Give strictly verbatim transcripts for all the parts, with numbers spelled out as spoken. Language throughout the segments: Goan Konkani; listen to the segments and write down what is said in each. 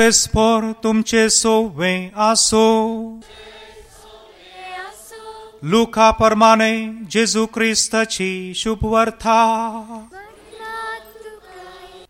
पेस्पोर तुमचे सोवे आसो। लुका परमाने जेजू क्रिस्ताची शुभवार्ता।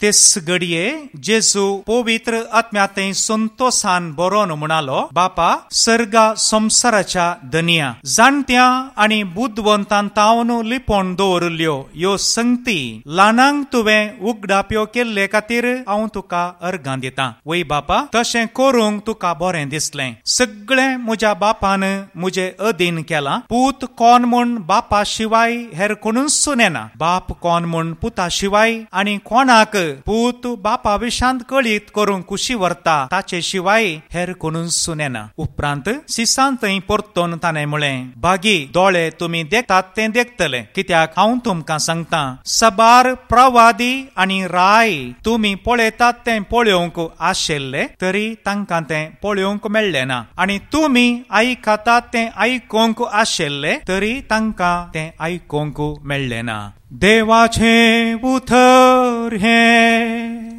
तेस घडये जेजू पवित्र आत्म्याते संतोषान बरोवन म्हणालो, बापा सर्गा संवसाराच्या धनया जाणट्या आनी बुदवंतान तावन लिपोवन दवरिल्ल्यो ह्यो संगती ल्हानांक तुवें उगडाप्यो केल्ले खातीर हांव तुका अर्गां दितां। वय बापा, तशें करूंक तुका बरें दिसलें। सगळें म्हज्या बापान म्हजे अधीन केलां। पूत कोण म्हूण बापा शिवाय हेर कोणूच नेना, बाप कोण म्हूण पुता शिवाय आनी कोणाक पूत बापा विशांत कळीत करूंक कुशी व्हरता ताचे शिवाय हेर कोणूच नेना। उपरांत सिसान थंय परतून ताणें म्हळें, भागी दोळे तुमी देखतात तें देखतले, कित्याक हांव तुमकां सांगता सबार प्रवादी आनी राय तुमी पळयतात तें पळोवंक आशिल्ले तरी तांकां तें पळोवंक मेळ्ळें ना, आनी तुमी आयकतात तें आयकूंक आशिल्ले तरी तांकां तें आयकूंक मेळ्ळें ना। देवाचें उतर हें।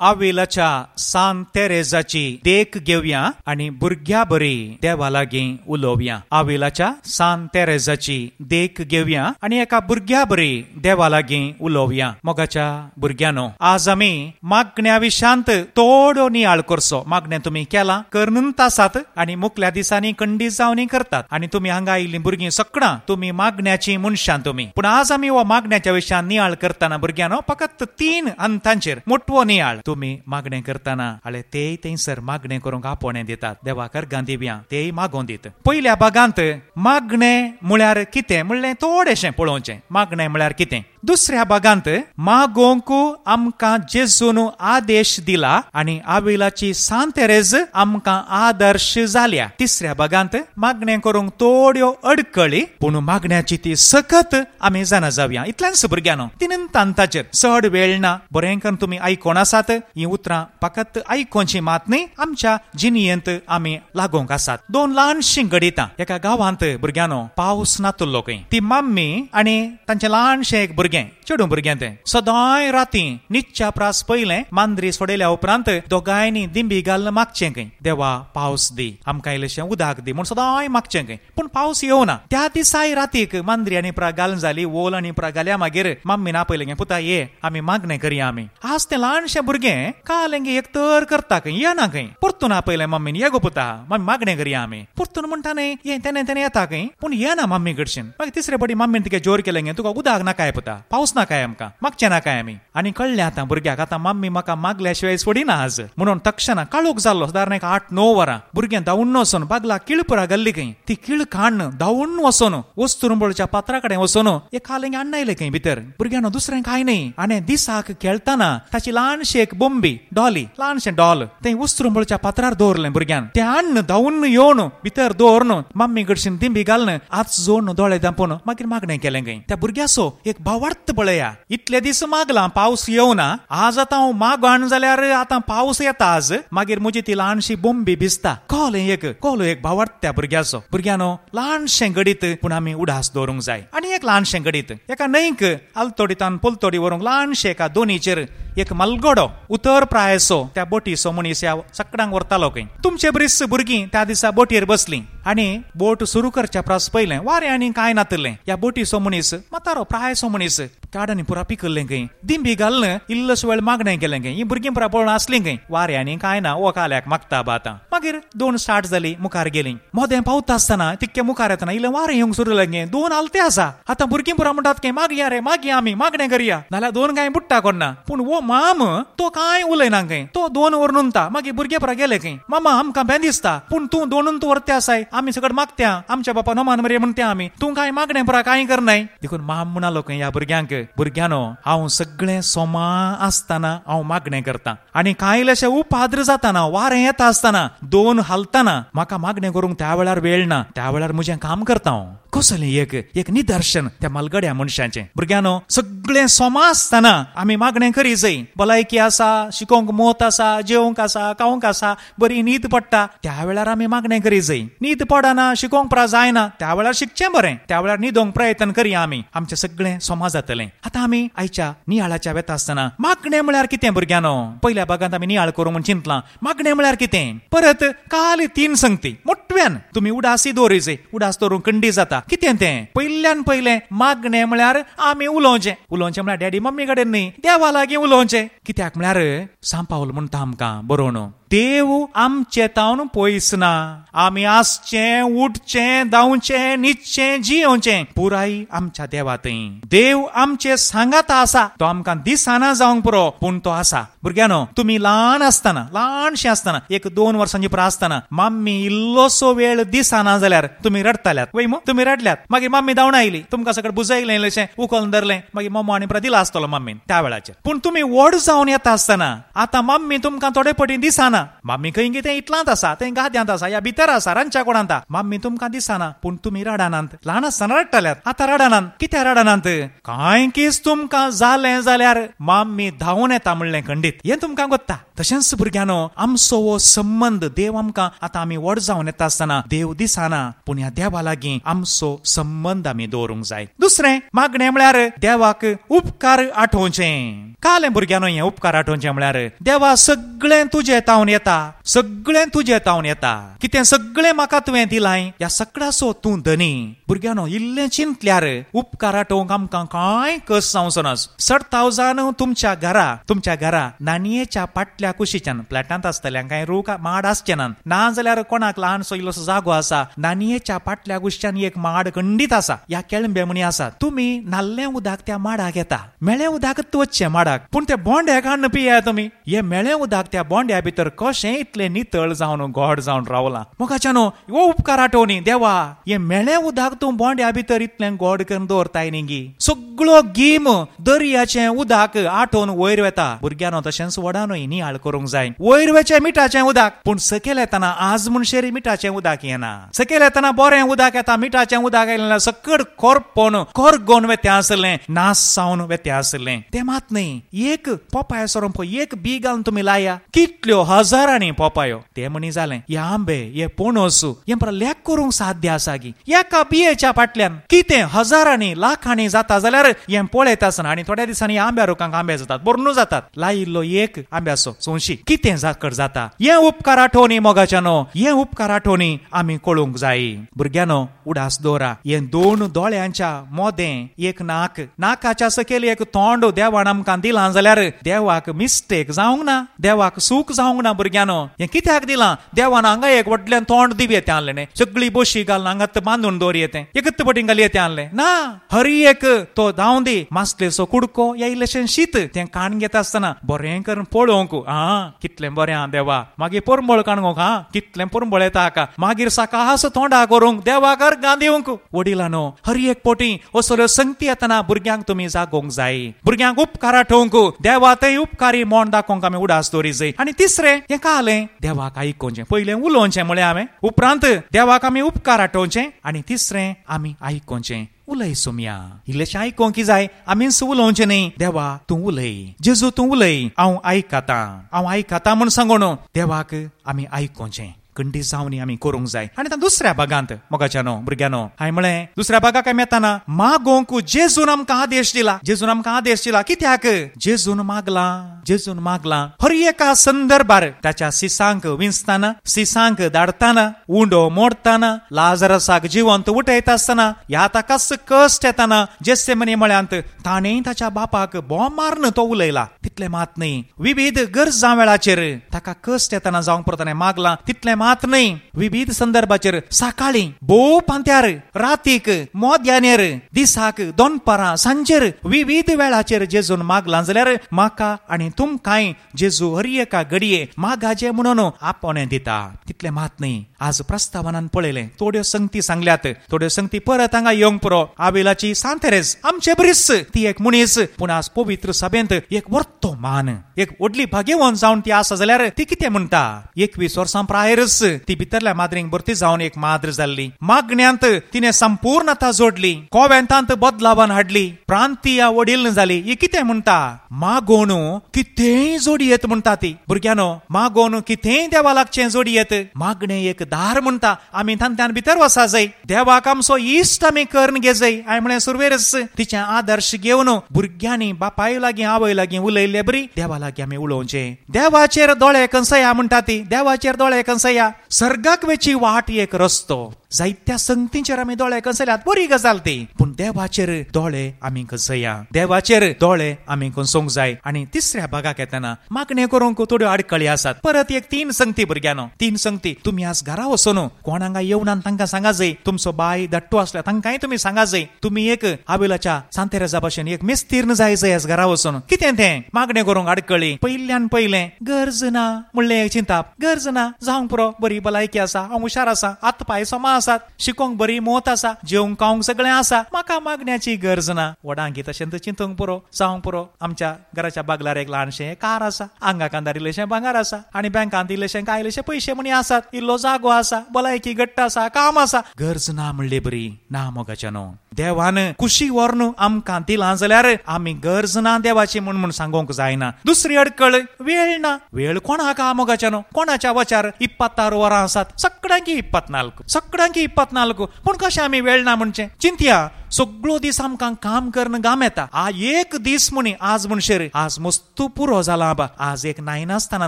आविलाच्या सान तेरेजाची देख घेवया आनी भुरग्या बरी देवा लागीं उलोवया। आविलाच्या सान तेरेजाची देख घेवया आनी एका भुरग्या बरी देवा लागीं उलोवया। मोगाच्या भुरग्यांनो, आज आमी मागण्या विशांत थोडो नियाळ करचो। मागणें तुमी केलां करून आसात आनी मुखल्या दिसांनी कंडी जावनी करतात आनी तुमी हांगा आयिल्लीं भुरगीं सगळां तुमी मागण्याची मनशां तुमी। पूण आज आमी हो मागण्याच्या विशयान नियाळ करतना भुरग्यांनो फकत तीन अंतांचेर मोटवो नियाळ। तुमी मागणें करतना हाले तेय थंयसर मागणें करूंक आपोवणें दितात, देवाक अर्गां दिवया, तेय मागोवन दित। पयल्या भागांत मागणें म्हळ्यार कितें म्हणलें थोडेशें पळोवचें, मागणें म्हळ्यार कितें। दुसऱ्या भागांत मागोवंक आमकां जेजून आदेश दिला आनी आविलाची सान तेरेज आमकां आदर्श जाल्या। तिसऱ्या भागांत मागणें करूंक थोड्यो अडकळी पूण मागण्याची ती सकत आमी जाणा जावया। इतल्यान भुरग्यांनो तीन तांताचेर चड वेळ ना, बरें करून तुमी आयकोन आसात। ही उतरां फकत आयकोनची मात न्ही, आमच्या जिणेंत आमी लागोवंक आसात। दोन ल्हानशीं घडितां। एका गांवांत भुरग्यांनो पावस नातुल्लो खंय, ती मम्मी आनी तांचें ल्हानशें एक भुरगें, चेडूं भुरगें तें सदांय राती निच्च्या प्रास पयलें मांद्री सोडयल्या उपरांत दोगांयनी दिंबी घालून मागचें खंय, देवा पावस दी आमकां इल्लेशें उदक दी म्हूण सदांय मागचें खंय, पूण पावस येवना। त्या दिसाय रातीक मांद्री आनी प्रा घालून जाली, ओल आनी प्रा घाल्या मागीर मम्मीन आपयलें गे, पुता ये आमी मागणें करया आमी। आज तें ल्हानशें भुरगें काल हें एक तर करता खंय, येना खंय। परतून आपयलें मम्मीन, ये गो पुता मम्मी मागणें करया आमी। परतून म्हणटा न्ही ये तेणें तेणें येता खंय, पूण येना मम्मी कडशीन। मागीर तिसरे पटी मम्मीन तिका जोर केलें गे, तुका उदक नाकाय पुता, पावस नाकाय आमकां, मागचें नाकाय आमी। आनी कळ्ळें आतां भुरग्याक आतां मम्मी म्हाका मागल्या शिवाय सोडिना आज म्हणून तक्षणा काळोख जाल्लो सादारण एक आठ णव वरां भुरगें धांवून वचून बागला किळपुरा घाल्ली खंय, ती किळ काडून धांवून वचून वस्तुरुंबळच्या पात्रा कडेन वचून एक हालें आणयलें खंय भितर। भुरग्यांनो दुसरें कांय न्ही, आनी दिसाक खेळटना ताची ल्हानशी एक बोंबी डॉली, ल्हानशें डॉल तें वस्तुरुंबळच्या पात्रार दवरलें भुरग्यान। तें हाडून धांवून येवन भितर दवरून मम्मी कडशीन दिंबी घालून आज जोडून दोळे धांपून मागीर मागणें केलें खंय। त्या भुरग्याचो एक भावार्थ पळया, इतले दीस मागला पावस येवना, आज आतां हांव मागण जाल्यार आतां पावस येता आज, मागीर म्हजी ती ल्हानशी बोंबी भिजता। कोल एक कोलो एक भावार्थ त्या भुरग्याचो। भुरग्यांनो ल्हानशें घडीत पूण आमी उडास दवरूंक जाय। आनी एक ल्हानशें घडीत एका न्हंयक आलतोडीतान पलतोडी व्हरूंक ल्हानशें एका दोनीचेर एक मलगडो उतर प्रायसो त्या बोटीचो मनीस ह्या सगळ्यांक व्हरतालो खंय। तुमचे बरीच भुरगीं त्या दिसा बोटीर बसलीं आनी बोट सुरू करच्या प्रास पयलें वारें आनी कांय नातलें। ह्या बोटीचो मनीस म्हातारो प्रायसो मनीस काडांनी पुरा पिकल्लें खंय, दिंबी घालून इल्लोसो वेळ मागणें केलें खंय। हीं भुरगीं पुरा पळोवन आसलीं खंय, वारें आनी कांय ना, हो काल्याक मागता बा आतां। मागीर दोन स्टार्ट जाली मुखार गेलीं, मोदें पावता आसतना तितकें मुखार येतना इल्लें वारें येवंक सुरू लागलें, दोन आलते आसा। आतां भुरगीं पुरा म्हणटात खंय मागया रे मागया आमी मागणें करया, नाल्यार दोन कांय बुडटा कोन्ना। पूण हो माम तो कांय उलयना खंय, तो दोन वर नुनता। मागीर भुरगें पुरा गेले खंय, मामा आमकां बें दिसता पूण तूं दोनून तूं व्हरते आसाय, आमी सगळें मागत्या आमच्या बापा नमान मरे म्हणत्या आमी, तूं कांय मागणें पुरा कांय करनाय। देखून माम म्हणालो खंय ह्या भुरग्यांक, भुरग्यांनो हांव सगळें सोमा आसतना हांव मागणें करता आनी कांय इल्लेशें उपाद्र जातना वारें येता आसतना दोन हालतना म्हाका मागणें करूंक त्या वेळार वेळ ना, त्या वेळार म्हजें काम करता हांव। कसलें एक एक निदर्शन त्या मालगड्या मनशाचें. भुरग्यांनो, सगळें सोमा आसतना आमी मागणें करी जाय. भलायकी आसा, शिकोवंक मोत आसा, जेवंक आसा, खावंक आसा, बरी न्हीद पडटा, त्या वेळार आमी मागणें करी जाय. न्हीद पडना, शिकोवंक परा जायना, त्या वेळार शिकचें बरें, त्या वेळार न्हिदोंक प्रयत्न करया आमी, आमचें सगळें सोमा जातलें. आतां आमी आयच्या नियाळाच्या वेता आसतना मागणें म्हळ्यार कितें भुरग्यांनो, पयल्या भागांत आमी नियाळ करूं म्हूण चिंतलां. मागणें म्हळ्यार कितें? परत काल तीन संगती मोटव्यान तुमी उडासी दवरी जाय. उडास दवरूंक कंडी जाता. कितें तें? पयल्यान पयलें मागणें म्हळ्यार आमी उलोवचें. उलोवचें म्हळ्यार डॅडी मम्मी कडेन न्ही, देवा लागीं उलोवचें. कित्याक म्हळ्यार सांत पावल म्हणटा आमकां बरोवन, देव आमचे तावन पयस ना. आमी आसचें, उठचें, धांवचें, न्हिदचें, जियोवचें पुराय आमच्या देवा थंय. देव आमचे सांगाता आसा. तो आमकां दिसना जावंक पुरो, पूण तो आसा. भुरग्यांनो, तुमी ल्हान आसतना, ल्हानशें आसतना, एक दोन वर्सांची पुरो आसतना, मम्मी इल्लोसो वेळ दिसना जाल्यार तुमी रडटाल्यात वय मू? तुमी रडल्यात, मागीर मम्मी धांवून आयली, तुमकां सगळें बुजयलें, इल्लेशें उखलून धरलें, मागीर मम्मा आनी परत दिला आसतलो मम्मीन त्या वेळाचेर. पूण तुमी व्हड जावन येता आसतना आतां मम्मी तुमकां थोडे पटी दिसना. मम्मी खंय कितें इतलांत आसा, थंय गाद्यांत आसा, या भितर आसा, रांदच्या कुडांत. मम्मी तुमकां दिसना, पूण तुमी रडनात. ल्हान आसतना रडटाल्यात, आतां रडनात. कित्याक रडनात? कांय कीस तुमकां जालें जाल्यार मम्मी धांवून येता म्हणलें खंडीत, हें तुमकां गोत्ता. तशेंच भुरग्यांनो, आमचो हो संबंद देव आमकां आतां आमी व्हड जावन येता आसतना देव दिसना, पूण ह्या देवा लागीं आमचो संबंद आमी दवरूंक जाय. दुसरें मागणें म्हळ्यार देवाक उपकार आठोवचें. कालें भुरग्यांनो, हें उपकार आठोवचें म्हळ्यार देवा सगळें तुजें तावन येता, सगळें तुजें तावन येता, कितें सगळें म्हाका तुवें दिलाय, ह्या सगळ्याचो तूं धनी. भुरग्यांनो, इल्लें चिंतल्यार उपकार आठोवंक आमकां कांय कस जावचो ना. सडतावजान तुमच्या घरा तुमच्या घरा नानयेच्या पाटल्या कुशीच्यान फ्लॅटांत आसतल्यांक कांय रूख माड आसचे ना, ना जाल्यार कोणाक ल्हानसो इल्लोसो जागो आसा, नानयेच्या पाटल्या कुशीच्यान एक माड खंडीत आसा, ह्या केळंबे म्हणी आसा. तुमी नाल्लें उदक त्या माडाक येता, मेळें उदक वचचें माडाक, पूण ते बोंड्याक हाडून पिया तुमी. हे मेळें उदक त्या बोंड्या भितर कशें इतलें नितळ जावन गोड जावन रावलां. मोगाच्यानो, हो उपकार आठवणी, देवा हे मेळें उदक तूं बोंड्या भितर इतलें गोड करून दवरताय न्ही. सगळो गीम दर्याचें उदक आठोवन वयर वेता. भुरग्यांनो, तशेंच व्हडानूय नियाळ करूंक जाय. वयर वेचें मिठाचें उदक, पूण सकयल येतना आज म्हणशेर मिठाचें उदक येना. सकयल येतना बरें उदक येता, मिठाचें उदक आयलें सकड कोरपोन कोरगोन वेतें आसलें, नास जावन वेतें आसलें. तें मात न्ही, एक पोपाय सोरोंप एक बी घालून तुमी लाया, कितल्यो हजारांनी पोपायो. ते म्हणी जालें, हे आंबे, हे पणस, हें पळय लेख करूंक साध्य आसा की एका बियेच्या फाटल्यान कितें हजारांनी लाखांनी जाता जाल्यार हें पळयता आसतना. आनी थोड्या दिसांनी आंब्या रुखांक आंबे जातात, बरून जातात. लायिल्लो एक आंब्याचो सोंशी कितें जाकड जाता. हें उपकार आठवणी मोगाच्यानो, हें उपकार आठवणी आमी कळूंक जाय. भुरग्यांनो, उडास दवरा, हें दोन दोळ्यांच्या मोदें एक नाक, नाकाच्या सकयल एक तोंड देवान आमकां दिलां जाल्यार देवाक मिस्टेक जावंक ना, देवाक सूख जावंक ना. भुरग्यांनो, हें कित्याक दिलां? देवान हांगा एक व्हडल्यान तोंड दिवये तें आणलें, सगळी बोशी घालून हांगात बांदून दवरये तें, एकच पटीन घालये तें आणलें ना. हरी एक तो धांव दी मासलेचो कुडको या इल्लेशें शीत तें काण घेता आसतना बरें करून पळोवंक, आं कितलें बरें आं देवा. मागीर पोरंबळ काणूंक, आं कितलें पोरंबळ येता हाका. मागीर साकास तोंडा करूंक देवाक अर्गां दिवंक. वडिलानो, हर एक पोटी असल्यो संगती येतना भुरग्यांक तुमी जागोवंक जाय, भुरग्यांक उपकार आठोवंक, देवा थंय उपकारी म्हण दाखोवंक आमी उडास दवरी जाय. आनी तिसरें हें कालें देवाक आयकोवचें. पयलें उलोवचें म्हळें हांवें, उपरांत देवाक आमी उपकार आठोवचें, आनी तिसरें आमी आयकोवचें. उलय सोमया, इल्लेशें आयकोंक जाय, आमीच उलोवचें न्ही. देवा तूं उलय, जेजू तूं उलय, हांव आयकतां, हांव आयकतां म्हूण सांगून देवाक आमी आयकोवचें. कंडी जावनी आमी करूंक जाय. आनी आतां दुसऱ्या भागांत मोगाच्यानो भुरग्यांनो, हांवें म्हळें दुसऱ्या भागाक आमी येतना मागोवंक जेजून आमकां आदेश दिला. जेजून आमकां आदेश दिला. कित्याक? जेजून मागलां, जेजून मागलां. हर एका संदर्भार ताच्या सिसांक विंचतना, सिसांक धाडतना, उंडो मोडतना, लाजरसाक जिवंत उठयता आसतना, ह्या ताकाच कश्ट येतना जेसेमनी म्हळ्यांत ताणें ताच्या बापाक बोम मारून तो उलयला. तितलें मात न्ही, विविध गरजां वेळाचेर ताका कश्ट येतना जावंक पुरो ताणें मागलां. तितलें मात न्ही, विविध संदर्भाचेर सकाळीं भोव पांत्यार, रातीक मोद्यानेर, दिसाक दोनपारां, सांजेर, विविध वेळाचेर जेजून मागलां जाल्यार म्हाका आनी तुमकांय जेजू हर एका घडये मागाचे म्हणून आपोवणें दिता. तितलें मात न्ही, आज प्रस्तावनान पळयलें थोड्यो संगती सांगल्यात, थोड्यो संगती परत हांगा येवंक पुरो. आविलाची सांत तेरेज आमचे बरीच ती एक मनीस, पूण आज पवित्र सभेंत एक वर्तो मान, एक व्हडली भाग्यवंत जावन ती आसा जाल्यार ती कितें म्हणटा, एकवीस वर्सां प्रायरच ती भितरल्या माद्रींक भरती जावन एक माद्र जाल्ली. मागण्यांत तिणे संपूर्णता जोडली, कोवेंतांत बदलावान हाडली, प्रांतीय वडील जाली. ही कितें म्हणटा, मागोवन कितेंय जोडी येत म्हणटा ती. भुरग्यानो, मागोवन कितेंय देवा लागचें जोडी येत. मागणें एक दार म्हणटा, आमी तांत्यान भितर वसा जाय, देवाक आमचो इश्ट आमी करून घेजय. हांवें म्हणलें सुरवेरच तिचें आदर्श घेवन भुरग्यांनी बापाय लागीं आवय लागीं उलयल्ले बरी देवा लागीं आमी उलोवचें. देवाचेर दोळे कंसया म्हणटा ती, देवाचेर दोळे कंसया. सर्गाक वेची वाट एक रस्तो, जायत्या संगतींचेर आमी दोळे कंसल्यात, बरी गजाल ती, पूण देवाचेर दोळे आमी कंसया, देवाचेर दोळे आमी कंसोंक जाय. आनी तिसऱ्या भागाक येतना मागणें करूंक थोड्यो आडखळी आसात. परत एक तीन संगती भुरग्यांनो, तीन संगती. तुमी आज घरा वचून कोण हांगा येवना तांकां सांगा जाय, तुमचो बाय धाडटो आसल्या तांकांय तुमी सांगा जाय, तुमी एक आविलाच्या सांत तेरेजा भाशेन एक मिस्तीर्ण जाय जाय आज घरा वचून. कितें तें मागणें करूंक आडखळी? पयल्यान पयलें गरज ना म्हणलें चिंताप, गरज ना जावंक पुरो, बरी भलायकी आसा, हांव हुशार आसा, हात पांय समा आसात, शिकोंक बरी मोत आसा, जेवंक खावंक सगळें आसा, म्हाका मागण्याची गरज ना. व्हडांकी तशें चिंतूंक पुरो, जावंक पुरो. आमच्या घराच्या बागलार एक ल्हानशें कार आसा, आंगा कांदार इल्लेशें भांगर आसा, आनी बँकांत इल्लेशें कांय इल्लेशे पयशे म्हणी आसात, इल्लो जागो आसा, भलायकी घट्ट आसा, काम आसा, गरज ना म्हणले बरी ना. मोगाच्यानो, देवान कुशी व्हरून आमकां दिलां जाल्यार आमी गरज ना देवाची म्हूण म्हूण सांगूंक जायना. दुसरी अडकळ वेळ ना. वेळ कोणाक मोगाच्यानो, कोणाच्या वचार इप्पत्तार वरां आसात, सगळ्यांकी इप्पत नाल्क, सगळ्यांकी इप्पत नाल्क, पूण कशें आमी वेळ ना म्हणचें? चिंतया, सगळो दीस आमकां काम करून गाम येता. आ एक दीस म्हणी आज म्हणशेर आज मस्तू पुरो जाला आबा, आज एक नायनासतना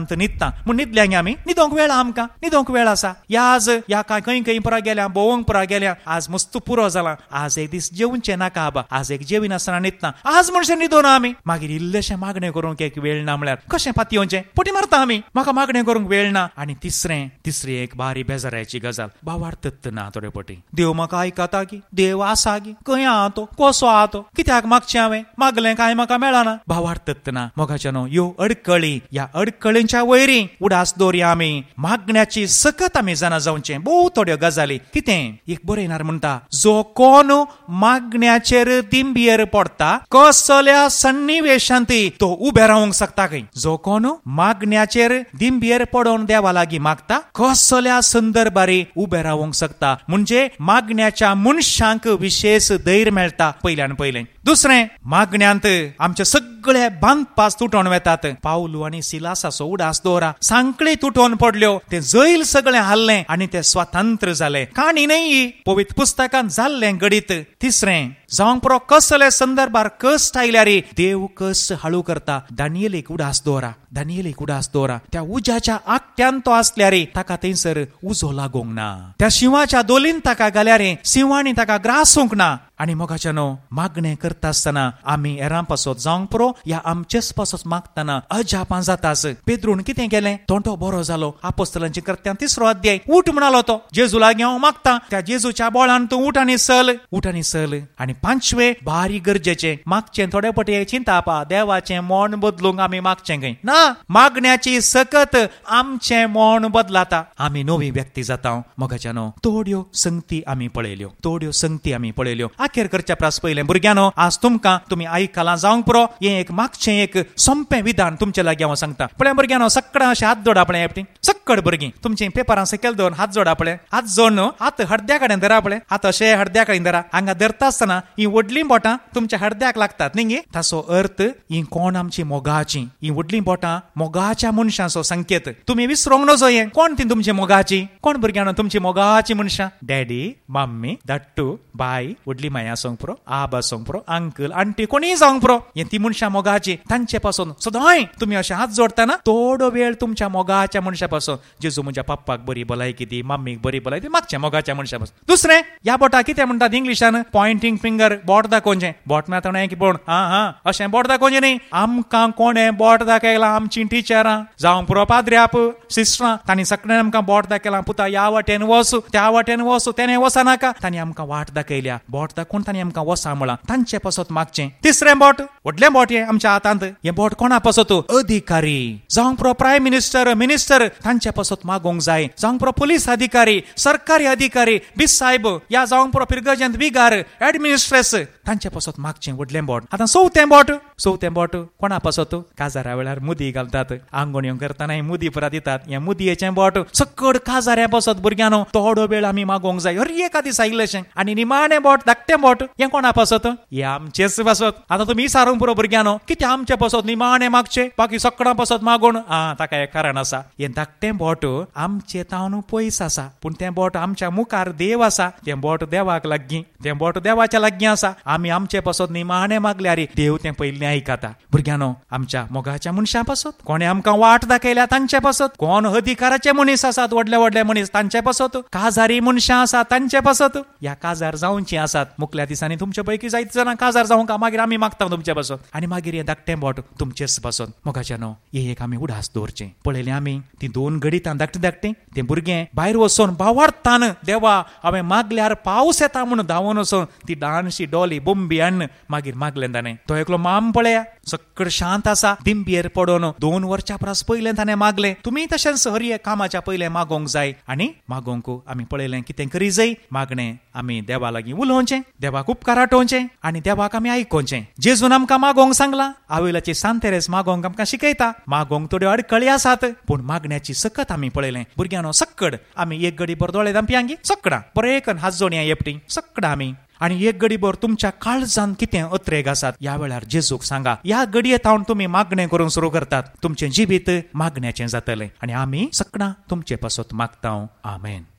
न्हिदता म्हूण न्हिदल्या आमी, न्हिदोंक वेळ आमकां, न्हिदोंक वेळ आसा. या आज या काय खंय खंय पुरा गेल्या, भोंवंक पुरा गेल्या, आज मस्तू पुरो जाला, आज एक दीस जेवचें नाका आबा, आज एक जेविनासतना न्हिदता, आज म्हणशेर न्हिदोना आमी. मागीर इल्लेशें मागणें करूंक एक वेळ ना म्हळ्यार कशें पातयेवचें, पोटी मारता आमी, म्हाका मागणें करूंक वेळ ना. आनी तिसरें, तिसरी एक बारी बेजारायची गजाल, भावार्थत ना थोडे पटी, देव म्हाका आयकता की, देव आसा की, खंय आहा तो, कसो आहा तो, कित्याक मागचें हांवें, मागलें कांय म्हाका मेळना, भावार्थत ना. मोगाच्यानो, ह्यो अडकळी, ह्या अडकळींच्या वयरी उडास दवरया आमी, मागण्याची सकत आमी जाणा जावचें. भोव थोड्यो गजाली. कितें एक बरयणार म्हणटा, जो कोण मागण्याचेर दिंबियेर पडटा कसल्या सन्निवेशांत तो उबे रावंक शकता खंय. जो कोण मागण्याचेर दिंबियेर पडोवन देवा लागीं मागता कसल्या संदर्भारी उबे रावंक शकता. म्हणजे मागण्याच्या मनशांक विशेष धैर्य मेळटा पयल्यान पयलें. दुसरें, मागण्यांत आमचे सगळे बांदपास तुटोवन वेतात. पावलू आनी सिलासाचो उडास दवरा, सांकळी तुटोवन पडल्यो, ते जैल सगळें हाल्लें आनी ते स्वतंत्र जाले. काणी न्हय ही, पवित्र पुस्तकांत जाल्लें घडीत. तिसरें, जावंक पुरो कसले संदर्भार कश्ट आयल्यार देव कश्ट हाळू करता. दानियेलीक उडास दवरा, दानियेलीक उडास दवरा. त्या उज्याच्या आकट्यान तो आसल्यार ताका थंयसर उजो लागूंक ना, त्या शिंवाच्या दोलीन ताका घाल्यार शिंवांनी ताका ग्रासूंक ना. आनी मोगाच्यानो, मागणें करता आसतना आमी हेरां पासत जावंक पुरो या आमचेच पासत मागतना अजापां जातास. पेद्रून कितें केलें, तोंडो बरो जालो. आपोस्तलांची कृत्यां तिसरो अध्याय, उठ म्हणालो तो, जेजू लागीं हांव मागता, त्या जेजूच्या बोळान तूं उठ आनी सल, उठ आनी सल. आनी पांचवे, भारी गरजेचें, मागचें थोडे पटे चिंतापा, देवाचें मन बदलूंक आमी मागचें खंय ना. मागण्याची सकत आमचें मन बदलाता, आमी नवी व्यक्ती जाता. मोगाच्यानो, थोड्यो संगती आमी पळयल्यो, थोड्यो संगती आमी पळयल्यो. अखेर करच्या प्रास पयलें भुरग्यांनो, आज तुमकां तुमी आयकलां जावंक पुरो, हें एक मागचें एक सोंपें विधान तुमचे लागीं हांव सांगता. पळय भुरग्यांनो, सगळ्यां अशें हात जोडा पळय, एकटी सक्कड भुरगीं तुमचीं पेपरां सकयल दवरून हात जोडा पळय, हात जोडून हात हडद्या कडेन धरा पळय, हात अशें हडद्या कडेन धरा. हांगा धरता आसतना ही व्हडलीं बोटां तुमच्या हडद्याक लागतात न्ही गे, ताचो अर्थ ही कोण आमची मोगाची, ही व्हडलीं बोटां मोगाच्या मनशांचो संकेत. तुमी विसरोंक नजो हें, कोण ती तुमची मोगाची, कोण भुरग्यांनो तुमची मोगाची मनशां? डॅडी, मम्मी, धाडटू, बाय, व्हडली माय आसूंक पुरो, आब आसूंक पुरो, अंकल, आंटी, कोणीय जावंक पुरो, हे ती मनशां मोगाची. तांचे पासून सदांय तुमी अशें हात जोडटना थोडो वेळ तुमच्या मोगाच्या मनशा पासून, जेजू म्हज्या पप्पाक बरी भलायकी दी, मम्मीक बरी भलायकी दी, मागचें मोगाच्या मनशा पासून. दुसरें, ह्या बोटा कितें म्हणटात इंग्लिशान, पॉयंटींग फिंगर, बोट दाखोवचें. बोट म्हळ्यार की बोट, हा हा अशें बोट दाखोवचें न्ही. आमकां कोणें बोट दाखयलां? आमचीं टिचरां जावंक पुरो, पाद्र्याप, सिस्टरां, तांणी सगळ्यांनी आमकां बोट दाखयलां, पुता ह्या वाटेन वच, त्या वाटेन वच, तेणें वचनाका, तांणी आमकां वाट दाखयल्या. बोट दाखोवचें कोण तांणी आमकां वसा म्हळां तांचे पासत मागचें. तिसरें बोट, व्हडलें बोट हें आमच्या हातांत, हें बोट कोणा पासत? अधिकारी, जावंक पुरो प्रायम मिनिस्टर, मिनिस्टर तांचे पासत मागोंक जाय, जावंक पुरो पुलीस अधिकारी, सरकारी अधिकारी, बीस साहेब या जावंक पुरो पिरगर्जेंत विगार, एडमिनिस्ट्रेस तांचे पासत मागचें व्हडलें बोट. आतां चवथें बोट, चवथें बोट कोणा पासत? काजारा वेळार मुदी घालतात, आंगोण्यो करतना मुदी पुरा दितात, हें मुदयेचें बोट सकड काजाऱ्या पासत भुरग्यांनो थोडो वेळ आमी मागोंक जाय हर एका दिसा इल्लेशें. आनी निमाणें बोट, धाकटें बोट हें कोणा पासत? हें आमचेच पासत. आतां तुमी सारूंक पुरो भुरग्यांनो, कितें आमचे पासत निमाणें मागचें, बाकी सकडां पासत मागून? आं, ताका एक कारण आसा, हें धाकटें बोट आमचे तावन पयस आसा, पूण तें बोट आमच्या मुखार देव आसा, तें बोट देवाक लागीं, तें बोट देवाच्या लागीं आसा. आमी आमचे पासत निमाणें मागल्यार देव तें पयलीं आयकता. भुरग्यांनो, आमच्या मोगाच्या मनशां पासत, कोणें आमकां वाट दाखयल्या तांचे पासत, कोण अधिकाराचे मनीस आसात, व्हडले व्हडले मनीस तांचे पासत, काजारी मनशां आसात तांचे पासत, ह्या काजार जावचीं आसात. मुखल्या दिसांनी तुमचे पैकी जायते जाणां काजार जावंक, मागीर आमी मागता तुमचे पासत, आनी मागीर हें धाकटें बोट तुमचेच पासत. मोगाच्यानो, हे एक आमी उडास दवरचें. पळयलें आमी ती दोन घडितां धाकटीं धाकटीं, तें भुरगें भायर वचून भावार्थान देवा हांवें मागल्यार पावस येता म्हणून धांवून वचून ती ल्हानशी डोली बोंबी हाडून मागीर मागलें ताणें. तो एकलो माम पळया सकड शांत आसा, दिंबयेर पडोन दोन वर्सां परस पयलें ताणें मागलें. तुमी तशेंच हर एक कामाच्या पयलें मागोंक जाय. आनी मागोंक आमी पळयलें कितें करी जाय, मागणें आमी देवा लागीं उलोवचें, देवाक उपकार आठोवचें आनी देवाक आमी आयकोवचें. जेजून आमकां मागोंक सांगलां, आवेलाची सांत तेरेज मागोंक आमकां शिकयता. मागोंक थोड्यो अडकळी आसात, पूण मागण्याची सकत आमी पळयलें. भुरग्यांनो, सक्कड आमी एक गडी भर दोळे धांपयांगी सकडां बरें एक हात जोडया एकटी सकडां आमी, आनी एक गडी भर तुमच्या काळजान कितें अत्रेग आसात ह्या वेळार जेजूक सांगा. ह्या घडये थावन तुमी मागणें करूंक सुरू करतात, तुमचें जिवीत मागण्याचें जातलें. आनी आमी सकडां तुमचे पासत मागता. आमेन.